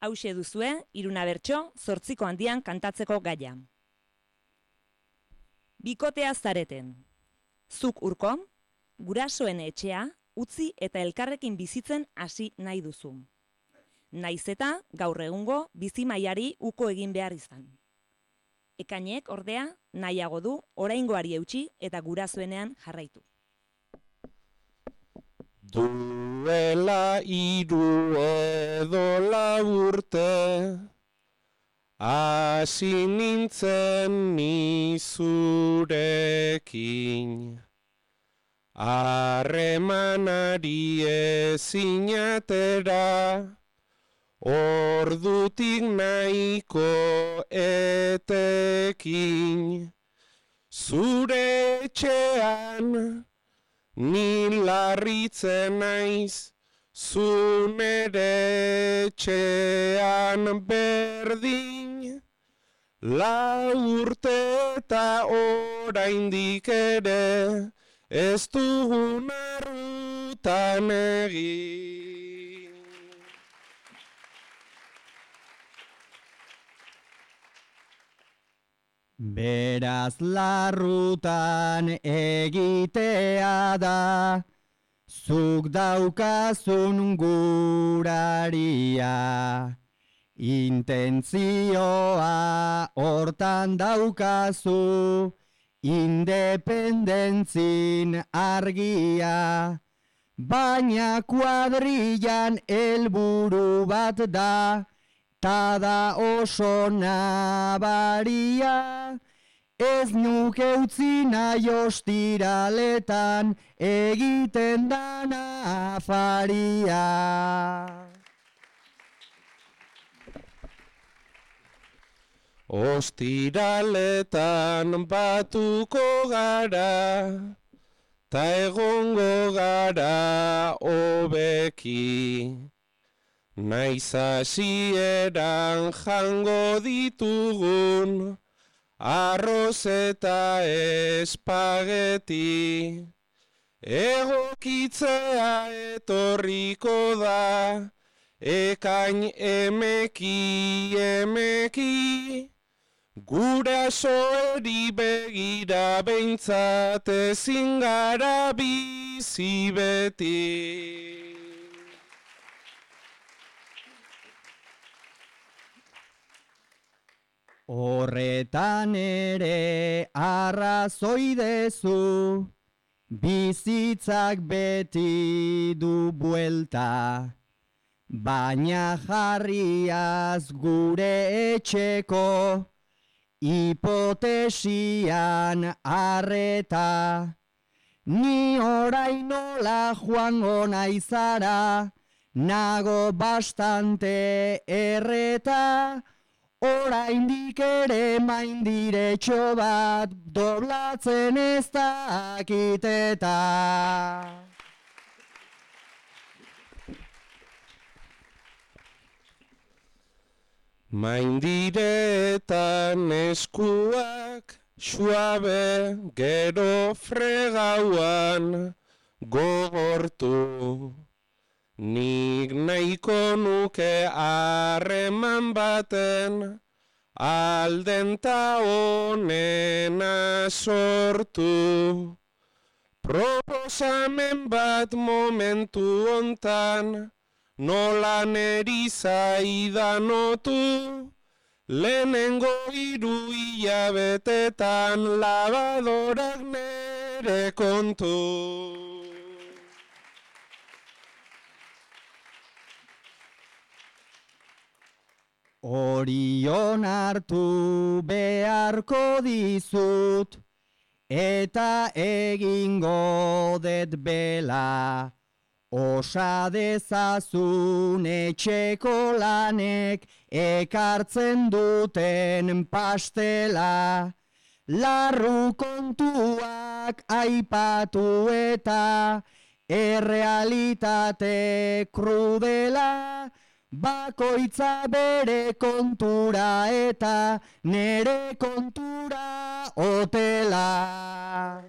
hauxe duzue, 3 bertso, 8 handian kantatzeko gaia. Bikotea zareten. Zuk Urko, gurasoen etxea, utzi eta elkarrekin bizitzen hasi nahi duzu. Naiz eta gaur egungo bizi mailari uko egin behar izan. Ekainek ordea nahiago du oraingoari eutsi eta gurasoenean jarraitu. Duela 3 edo 4 urte, hasi nintzen ni zurekin. Harremanari ezin atera, ordutik nahiko etekin. Zure etxean ni larritzen naiz, zu nere etxean berdin. 4 urte eta oraindik ere, ez dugun arrutan egin. Beraz larrutan egitea da, zuk daukazun guraria. Intentzioa hortan daukazu, independentzin argia. Baina kuadrillan helburu bat da, ta da oso nabaria. Ez nuke utzi nahi ostiraletan, egiten dana afaria. Ostiraletan batuko gara, ta egongo gara hobeki. Naiz hasieran jango ditugun, arroz eta espageti. Egokitzea etorriko da, ekain emeki. Gurasoeri begira behintzat ezin gara bizi beti. Horretan ere arrazoi dezu, bizitzak beti du buelta. Baina jarriaz gure etxeko, hipotesian arreta. Ni orain nola joango naizara, nago bastante erreta. Oraindik ere maindiretxo bat, doblatzen ez dakiteta. Maindiretan eskuak suabe, gero fregauan gogortu. Nik nahiko nuke harreman baten, aldenta onena sortu. Proposamen bat momentu hontan, nola neri zaidan otu. Lehenengo 3 hilabetetan, labadorak nere kontu. Orion hartu beharko dizut, eta egingo det bela. Osa dezazun etxeko lanek, ekartzen duten pastela. Larru kontuak aipatu eta, errealitate krudela. Bakoitza bere kontura eta nere kontura hotela.